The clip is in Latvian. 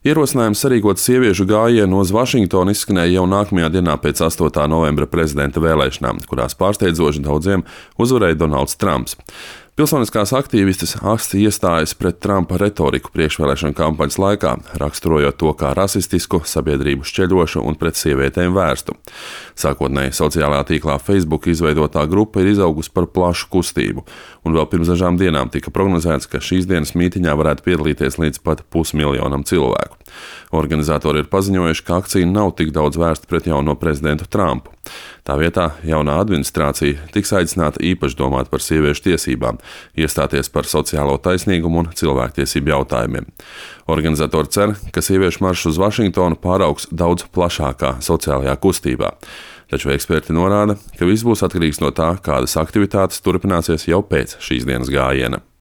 Ierosinājums sarīkot sieviešu gājienu uz Vašingtonu izskanēja jau nākamajā dienā pēc 8. novembra prezidenta vēlēšanām, kurās pārsteidzoši daudziem uzvarēja Donalds Trumps. Pilsoniskās aktīvistes aksti iestājas pret Trumpa retoriku priekšvēlēšanu kampaņas laikā, raksturojot to kā rasistisku, sabiedrību šķeļošu un pret sievietēm vērstu. Sākotnēji sociālajā tīklā Facebook izveidotā grupa ir izaugusi par plašu kustību, un vēl pirms dažām dienām tika prognozēts, ka šīs dienas mītiņā varētu piedalīties līdz pat 500 000 cilvēku. Organizatori ir paziņojuši, ka akcija nav tik daudz vērsta pret jauno prezidentu Trumpu. Tā vietā jaunā administrācija tiks aicināta īpaši domāt par sieviešu tiesībām, iestāties par sociālo taisnīgumu un cilvēktiesību jautājumiem. Organizatori cer, ka sieviešu maršs uz Vašingtonu pāraugs daudz plašākā sociālajā kustībā. Taču eksperti norāda, ka viss būs atkarīgs no tā, kādas aktivitātes turpināsies jau pēc šīs dienas gājiena.